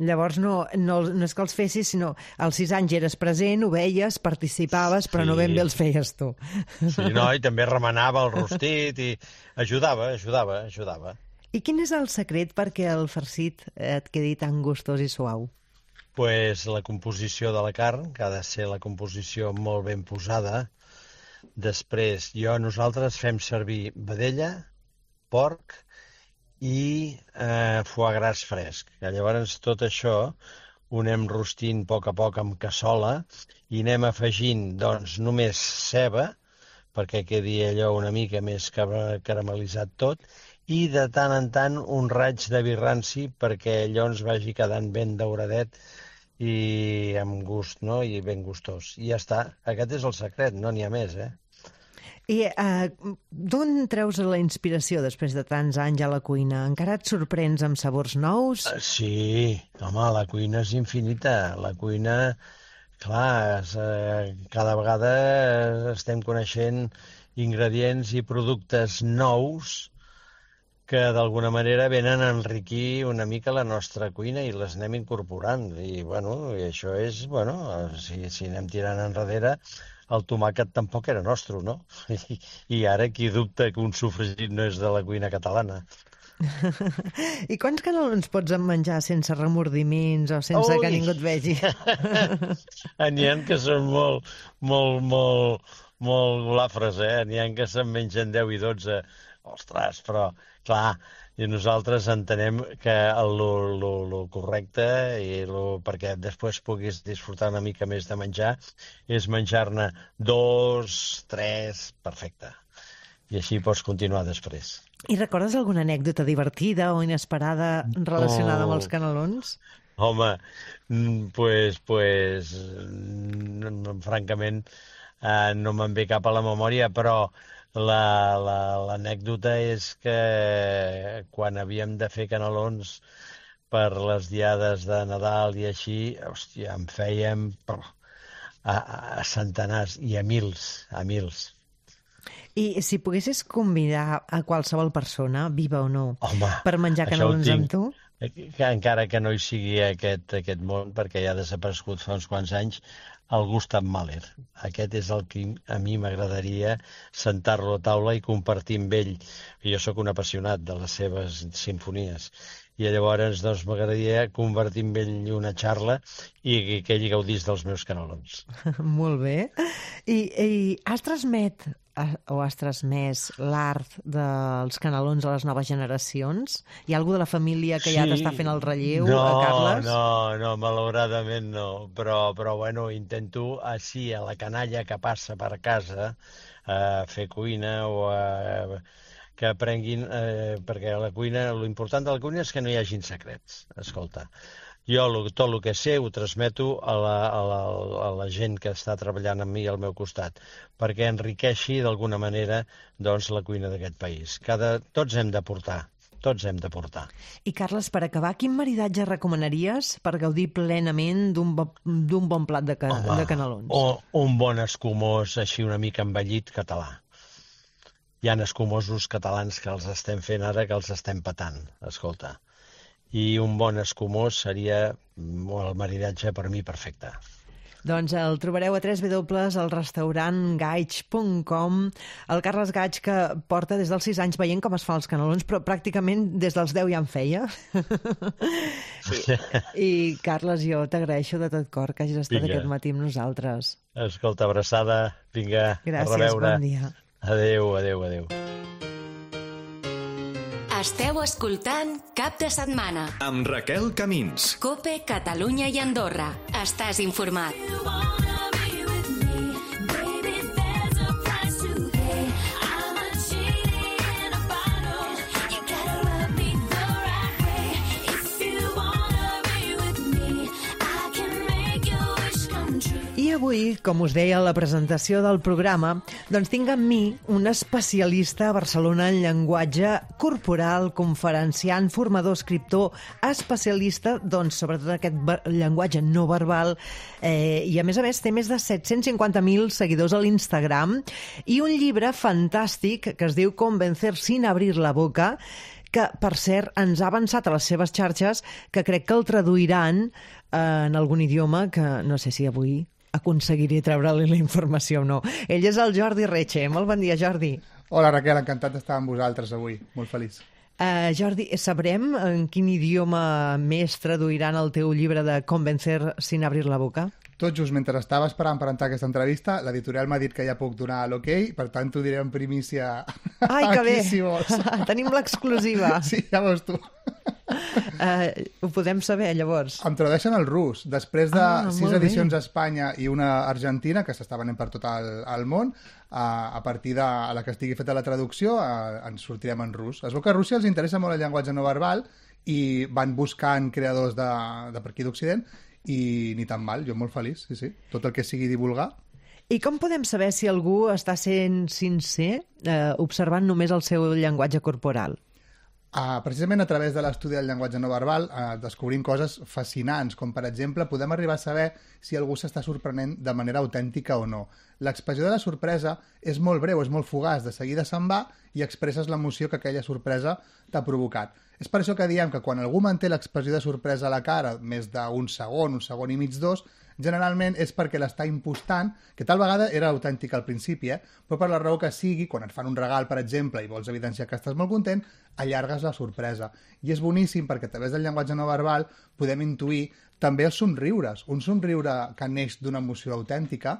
C: Llavors no és que els fessis, sinó als 6 anys eres present, ho veies, participaves, però no ben bé els feies tu.
E: Sí, no, i també remenava el rostit i ajudava.
C: I quin és el secret perquè el farcit et quedi tan gustós i suau?
E: Pues la composició de la carn, que ha de ser la composició molt ben posada. Després, nosaltres fem servir vedella, porc i foie gras fresc. Llavors tot això ho anem rostint a poc amb cassola i anem afegint doncs només ceba, perquè quedi allò una mica més caramelitzat tot, i de tant en tant un raig de vi ranci perquè allò ens vagi quedant ben dauradet i amb gust, no? I ben gustós. I ja està, aquest és el secret, no n'hi ha més,
C: I d'on treus la inspiració després de tants anys a la cuina? Encara et sorprens amb sabors nous?
E: Sí, home, la cuina és infinita. La cuina, clar, cada vegada estem coneixent ingredients i productes nous que d'alguna manera venen a enriquir una mica la nostra cuina i les anem incorporant. I, i això és, si anem tirant enrere, el tomàquet tampoc era nostre, no? I ara qui dubta que un sofregit no és de la cuina catalana.
C: I quants canelons pots menjar sense remordiments o sense que ningú et vegi?
E: N'hi ha que són molt golafres, N'hi ha que se'n mengen 10 i 12. Ostres, però, clar, i nosaltres entenem que el correcte perquè després puguis disfrutar una mica més de menjar és menjar-ne 2, 3, perfecte. i així pots continuar després.
C: I recordes alguna anècdota divertida o inesperada relacionada amb els canelons?
E: Home, francament no me'n ve cap a la memòria, però l'anècdota és que quan havíem de fer canelons per les diades de Nadal i així, hòstia, en fèiem a centenars i a mils.
C: I si poguessis convidar a qualsevol persona, viva o no, per menjar canelons amb tu?
E: Encara que no hi sigui aquest món, perquè ja ha desaparegut fa uns quants anys, el Gustav Mahler. Aquest és el que a mi m'agradaria sentar-lo a taula i compartir amb ell. Jo sóc un apassionat de les seves sinfonies. I llavors m'agradaria compartir amb ell una xarra i que ell gaudís dels meus canelons.
C: Molt bé. I has transmès l'art dels canelons a les noves generacions? Hi ha algú de la família que ja t'està fent el relleu, Carles?
E: No, malauradament no. Però bueno, intento així a la canalla que passa per casa a fer cuina o que aprenguin, perquè a la cuina, l'important de la cuina és que no hi hagin secrets. Escolta, jo tot el que sé ho transmeto a la gent que està treballant amb mi al meu costat, perquè enriqueixi d'alguna manera doncs, la cuina d'aquest país. Tots hem d'aportar. I
C: Carles, per acabar, quin maridatge recomanaries per gaudir plenament d'un bon plat de canelons?
E: Un bon escumós, així una mica envellit, català. Hi ha escumosos catalans que els estem fent ara, que els estem patant, escolta. I un bon escumós seria el maridatge per mi perfecte.
C: Doncs el trobareu a www.elrestaurantgaig.com. El Carles Gaig, que porta des dels 6 anys veient com es fan els canelons, però pràcticament des dels 10 ja en feia. I Carles, jo t'agraeixo de tot cor que hagis estat aquest matí amb nosaltres.
E: Escolta, abraçada, vinga,
C: gràcies,
E: a reveure.
C: Bon dia.
E: Adéu.
A: Esteu escoltant Cap de Setmana
B: amb Raquel Camins.
A: COPE, Catalunya i Andorra. Estàs informat.
C: I avui, com us deia a la presentació del programa, doncs tinc amb mi un especialista a Barcelona en llenguatge corporal, conferenciant, formador, escriptor, especialista, doncs, sobretot aquest llenguatge no verbal, i a més té més de 750.000 seguidors a l'Instagram, i un llibre fantàstic que es diu Convencer sin abrir la boca, que, per cert, ens ha avançat a les seves xarxes, que crec que el traduiran en algun idioma que no sé si avui aconseguiré treure-li la informació o no. Ell és el Jordi Reche. Molt bon dia, Jordi.
F: Hola, Raquel, encantat d'estar amb vosaltres avui. Molt feliç.
C: Jordi, sabrem en quin idioma més traduiran el teu llibre de Convencer sin abrir la boca?
F: Tot just mentre estava esperant per entrar a aquesta entrevista, l'editorial m'ha dit que ja puc donar l'ok, per tant t'ho diré en primícia.
C: Ai, que bé!
F: Si vols.
C: Tenim l'exclusiva.
F: Sí, ja veus tu.
C: Ho podem saber, llavors?
F: Em tradueixen al rus. Després de 6 edicions a Espanya i una a Argentina, que s'està venent per tot el món, a partir de la que estigui feta la traducció, ens sortirem en rus. Es veu que a Rússia els interessa molt el llenguatge no verbal i van buscant creadors de per aquí d'Occident i ni tan mal, jo molt feliç, sí. Tot el que sigui divulgar.
C: I com podem saber si algú està sent sincer observant només el seu llenguatge corporal?
F: Precisament a través de l'estudi del llenguatge no verbal descobrim coses fascinants, com per exemple podem arribar a saber si algú s'està sorprenent de manera autèntica o no. L'expressió de la sorpresa és molt breu, és molt fugaç, de seguida se'n va i expresses l'emoció que aquella sorpresa t'ha provocat. És per això que diem que quan algú manté l'expressió de sorpresa a la cara més d'un segon i mig, 2, generalment és perquè l'està impostant, que tal vegada era autèntic al principi, però per la raó que sigui, quan et fan un regal, per exemple, i vols evidenciar que estàs molt content, allargues la sorpresa. I és boníssim perquè a través del llenguatge no verbal podem intuir també els somriures. Un somriure que neix d'una emoció autèntica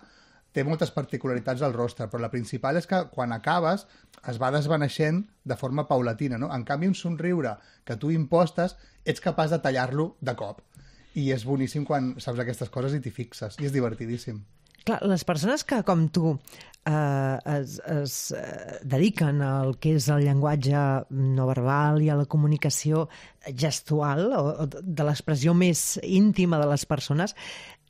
F: té moltes particularitats al rostre, però la principal és que quan acabes es va desvaneixent de forma paulatina, no? En canvi, un somriure que tu impostes ets capaç de tallar-lo de cop. I és boníssim quan saps aquestes coses i t'hi fixes. I és divertidíssim.
C: Clar, les persones que, com tu, es dediquen al que és el llenguatge no verbal i a la comunicació gestual, o de l'expressió més íntima de les persones,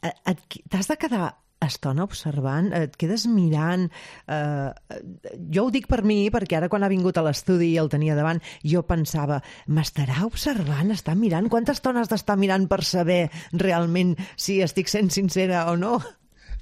C: t'has de quedar estona observant, et quedes mirant. Jo ho dic per mi, perquè ara quan ha vingut a l'estudi i el tenia davant, jo pensava, m'estarà observant, està mirant? Quanta estona has d'estar mirant per saber realment si estic sent sincera o no?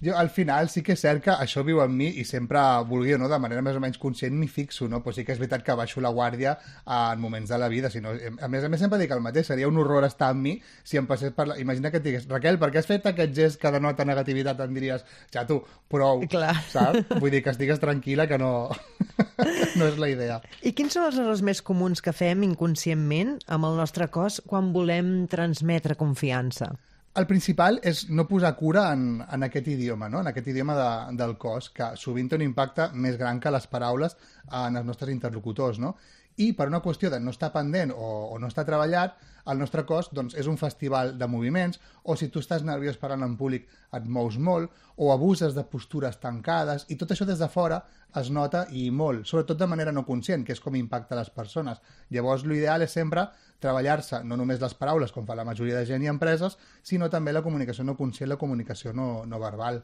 F: Jo, al final, sí que és cert que això viu en mi i sempre, vulgui o no, de manera més o menys conscient, m'hi fixo, no? Però sí que és veritat que baixo la guàrdia en moments de la vida. Si no, a més sempre dic el mateix, seria un horror estar amb mi si em passés per la... Imagina que et digués, Raquel, per què has fet aquest gest que denota negativitat? Em diries, ja tu, prou, saps? Vull dir que estigues tranquil·la, que no... no és la idea.
C: I quins són els errors més comuns que fem inconscientment amb el nostre cos quan volem transmetre confiança?
F: El principal és no posar cura en aquest idioma, no? En aquest idioma del cos, que sovint té un impacte més gran que les paraules en els nostres interlocutors, no? I per una qüestió de no estar pendent o no estar treballat, el nostre cos doncs, és un festival de moviments, o si tu estàs nerviós parlant en públic et mous molt, o abuses de postures tancades, i tot això des de fora es nota i molt, sobretot de manera no conscient, que és com impacta les persones. Llavors, l'ideal és sempre treballar-se no només les paraules, com fa la majoria de gent i empreses, sinó també la comunicació no conscient, la comunicació no verbal.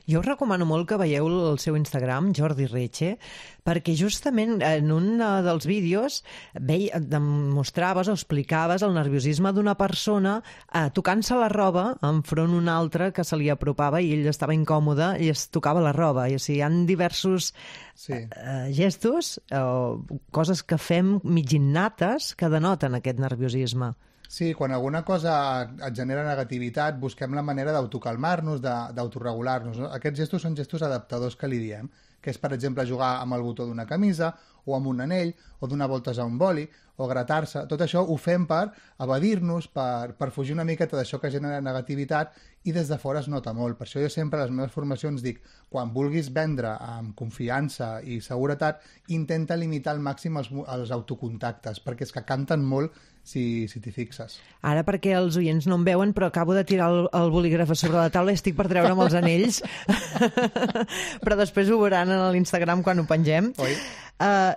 C: Jo us recomano molt que veieu el seu Instagram, Jordi Reche, perquè justament en un dels vídeos demostraves o explicaves el nerviosisme d'una persona tocant-se la roba enfront una altra que se li apropava i ell estava incòmode i es tocava la roba. I, o sigui, hi ha diversos gestos o coses que fem mig innates que denoten aquest nerviosisme.
F: Sí, quan alguna cosa et genera negativitat, busquem la manera d'autocalmar-nos, d'autoregular-nos. No? Aquests gestos són gestos adaptadors que li diem, que és, per exemple, jugar amb el botó d'una camisa, o amb un anell, o donar voltes a un boli, o gratar-se. Tot això ho fem per evadir-nos, per fugir una miqueta d'això que genera negativitat, i des de fora es nota molt. Per això jo sempre a les meves formacions dic, quan vulguis vendre amb confiança i seguretat, intenta limitar al màxim els autocontactes, perquè és que canten molt si t'hi fixes.
C: Ara, perquè els oients no em veuen, però acabo de tirar el bolígraf a sobre la taula i estic per treure'm els anells. Però després ho veuran a l'Instagram quan ho pengem.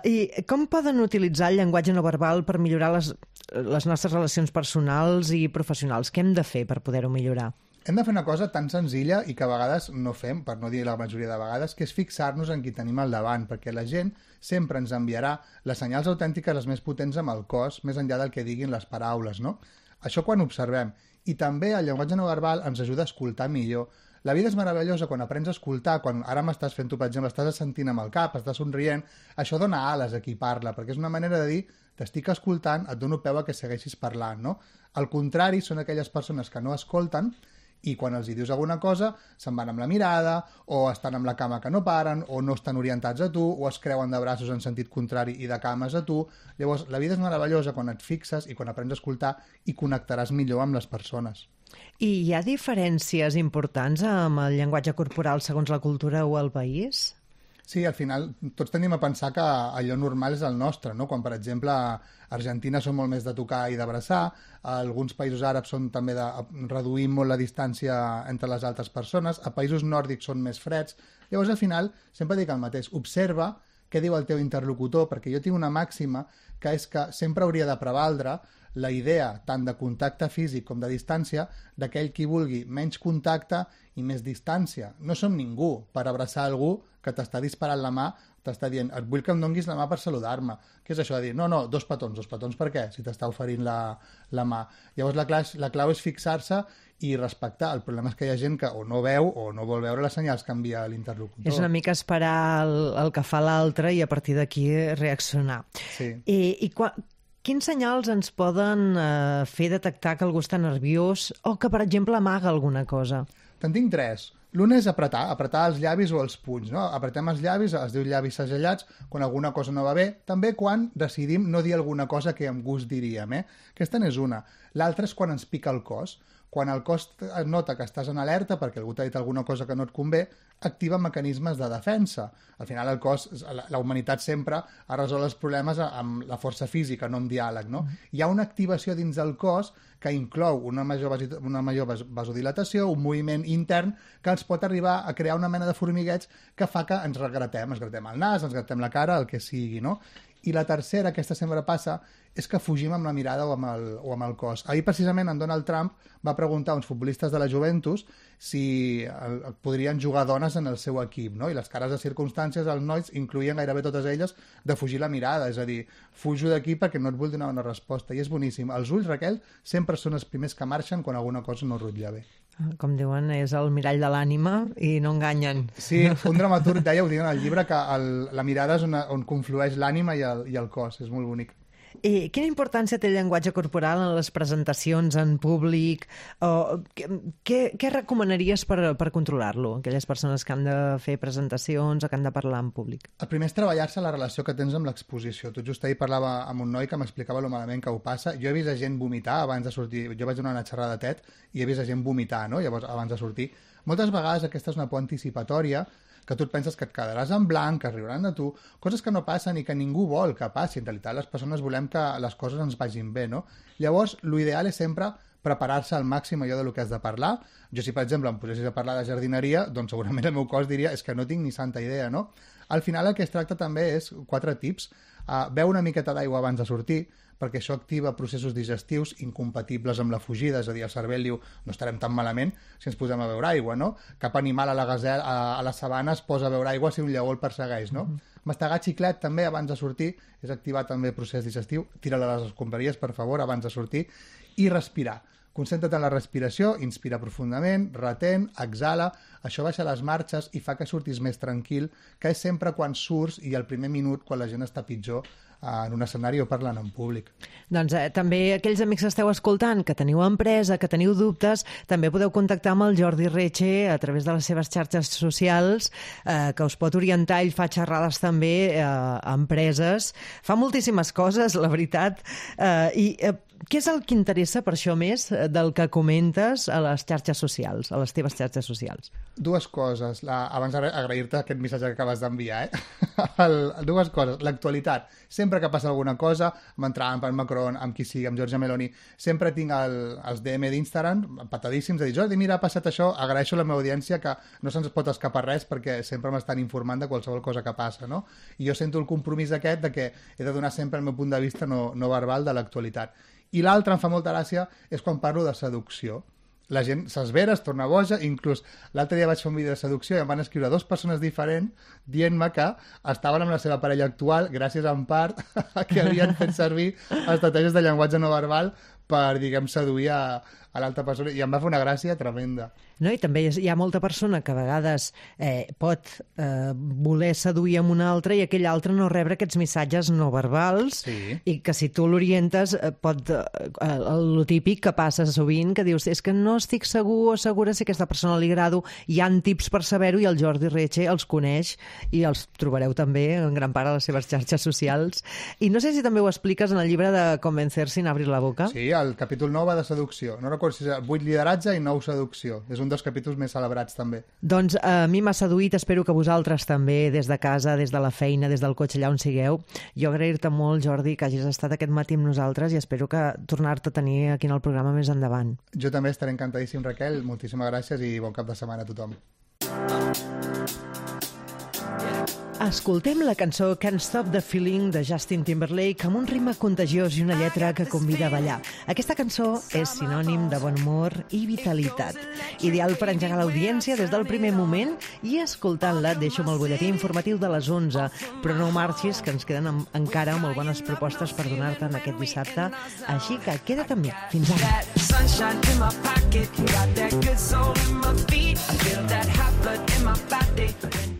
C: I com poden utilitzar el llenguatge no verbal per millorar les nostres relacions personals i professionals? Què hem de fer per poder-ho millorar?
F: Hem de fer una cosa tan senzilla i que a vegades no fem, per no dir la majoria de vegades, que és fixar-nos en qui tenim al davant, perquè la gent sempre ens enviarà les senyals autèntiques les més potents amb el cos, més enllà del que diguin les paraules, no? Això quan observem. I també el llenguatge no verbal ens ajuda a escoltar millor. La vida és meravellosa quan aprens a escoltar, quan ara m'estàs fent tu, per exemple, estàs assentint amb el cap, estàs somrient, això dona ales a qui parla, perquè és una manera de dir t'estic escoltant, et dono peu a que segueixis parlant, no? Al contrari, són aquelles persones que no escolten i quan els hi dius alguna cosa se'n van amb la mirada, o estan amb la cama que no paren, o no estan orientats a tu, o es creuen de braços en sentit contrari i de cames a tu. Llavors, la vida és meravellosa quan et fixes i quan aprens a escoltar i connectaràs millor amb les persones.
C: I hi ha diferències importants amb el llenguatge corporal segons la cultura o el país?
F: Sí, al final tots tenim a pensar que allò normal és el nostre, no? Quan, per exemple, a Argentina són molt més de tocar i d'abraçar, alguns països àrabs són també de reduir molt la distància entre les altres persones, a països nòrdics són més freds. Llavors, al final, sempre dic el mateix, observa què diu el teu interlocutor, perquè jo tinc una màxima que és que sempre hauria de prevaldre la idea tant de contacte físic com de distància d'aquell qui vulgui menys contacte i més distància. No som ningú per abraçar algú que t'està disparant la mà, t'està dient, et vull que em donguis la mà per saludar-me. Què és això de dir, no, dos petons per què? Si t'està oferint la mà. Llavors la clau és fixar-se i respectar. El problema és que hi ha gent que o no veu o no vol veure les senyals que envia l'interlocutor.
C: És una mica esperar el que fa l'altre i a partir d'aquí reaccionar.
F: Sí.
C: Quins senyals ens poden fer detectar que algú està nerviós o que, per exemple, amaga alguna cosa?
F: Te'n tinc 3. L'una és apretar els llavis o els punys, no? Apretem els llavis, es diu llavis segellats, quan alguna cosa no va bé, també quan decidim no dir alguna cosa que amb gust diríem, Aquesta n'és una. L'altra és quan ens pica el cos. Quan el cos nota que estàs en alerta perquè algú t'ha dit alguna cosa que no et convé, activa mecanismes de defensa. Al final el cos, la humanitat sempre ha resolt els problemes amb la força física, no amb diàleg, no? Hi ha una activació dins del cos que inclou una major vasodilatació, un moviment intern que ens pot arribar a crear una mena de formigueig que fa que ens gratem el nas, ens gratem la cara, el que sigui, no? I la tercera, aquesta sempre passa, és que fugim amb la mirada o amb el cos. Ahir, precisament, en Donald Trump va preguntar a uns futbolistes de la Juventus si podrien jugar dones en el seu equip, no? I les cares de circumstàncies, els nois incloïen gairebé totes elles de fugir la mirada, és a dir, fujo d'aquí perquè no et vull donar una resposta. I és boníssim. Els ulls, Raquel, sempre són els primers que marxen quan alguna cosa no rutlla bé.
C: Com diuen, és el mirall de l'ànima i no enganyen.
F: Sí, un dramaturg deia, ho diu en el llibre, que la mirada és on conflueix l'ànima i el cos. És molt bonic.
C: I quina importància té el llenguatge corporal en les presentacions en públic? Què recomanaries per controlar-lo? Aquelles persones que han de fer presentacions o que han de parlar en públic.
F: El primer és treballar-se la relació que tens amb l'exposició. Tot just ahir parlava amb un noi que m'explicava lo malament que ho passa. Jo he vist a gent vomitar abans de sortir. Jo vaig donar una xerrada TED i he vist a gent vomitar, no? Llavors, abans de sortir. Moltes vegades aquesta és una por anticipatòria que tu et penses que et quedaràs en blanc, que es riuran de tu, coses que no passen i que ningú vol que passi. En realitat, les persones volem que les coses ens vagin bé, no? Llavors, l'ideal és sempre preparar-se al màxim allò de lo que has de parlar. Jo, si per exemple em posessis a parlar de jardineria, doncs segurament el meu cos diria és que no tinc ni santa idea, no? Al final el que es tracta també és 4 tips. Beu una miqueta d'aigua abans de sortir, perquè això activa processos digestius incompatibles amb la fugida, és a dir, el cervell diu no estarem tan malament si ens posem a beure aigua, no? Cap animal a la sabana es posa a beure aigua si un lleó el persegueix, no? Mastegar xiclet també abans de sortir és activar també el procés digestiu. Tira-la a les escombraries, per favor, abans de sortir. I respirar. Concentra't en la respiració, inspira profundament, retén, exhala, això baixa les marxes i fa que surtis més tranquil, que és sempre quan surts i al primer minut, quan la gent està pitjor en un escenari o parlant en públic.
C: Doncs també aquells amics que esteu escoltant, que teniu empresa, que teniu dubtes, també podeu contactar amb el Jordi Retxe a través de les seves xarxes socials, que us pot orientar. Ell fa xerrades també a empreses. Fa moltíssimes coses, la veritat. I què és el que interessa per això més del que comentes a les xarxes socials, a les teves xarxes socials?
F: 2 coses. Abans agrair-te aquest missatge que acabes d'enviar. 2 coses. L'actualitat. Sempre que passa alguna cosa, amb en Trump, amb Macron, amb qui sigui, amb Giorgia Meloni, sempre tinc els DM d'Instagram patadíssims de dir, Jordi, mira, ha passat això, agraeixo a la meva audiència que no se'ns pot escapar res perquè sempre m'estan informant de qualsevol cosa que passa, no? I jo sento el compromís aquest de que he de donar sempre el meu punt de vista no verbal de l'actualitat. I l'altre, em fa molta gràcia, és quan parlo de seducció. La gent s'esvera, es torna boja, inclús l'altre dia vaig fer un vídeo de seducció i em van escriure 2 persones diferents dient-me que estaven amb la seva parella actual gràcies en part a que havien fet servir estratègies de llenguatge no verbal per, diguem, seduir a l'altra persona, i em va fer una gràcia tremenda.
C: No? I també hi ha molta persona que a vegades pot voler seduir amb una altra i aquell altre no rebre aquests missatges no verbals, sí. I que si tu l'orientes pot... el típic que passa sovint, que dius, és que no estic segur o segura si aquesta persona li agrado. Hi ha tips per saber-ho i el Jordi Retxe els coneix i els trobareu també en gran part a les seves xarxes socials. I no sé si també ho expliques en el llibre de Convencer sin abrir la boca.
F: Sí, el capítol 9 va de seducció. No recordo si és 8 lideratge i 9 seducció. És un dels capítols més celebrats també.
C: Doncs a mi m'ha seduït, espero que vosaltres també, des de casa, des de la feina, des del cotxe, allà on sigueu. Jo agrair-te molt, Jordi, que hagis estat aquest matí amb nosaltres i espero que tornar-te a tenir aquí en el programa més endavant.
F: Jo també estaré encantadíssim, Raquel. Moltíssimes gràcies i bon cap de setmana a tothom.
C: Escoltem la cançó Can't Stop the Feeling de Justin Timberlake amb un ritme contagiós i una lletra que convida a ballar. Aquesta cançó és sinònim de bon humor i vitalitat. Ideal per engegar l'audiència des del primer moment i escoltant-la et deixo amb el butlletí informatiu de les 11. Però no marxis, que ens queden encara molt bones propostes per donar-te en aquest dissabte. Així que queda't amb mi. Fins ara. Sunshine in my pocket, got that good soul in my feet, I feel that hot blood in my body.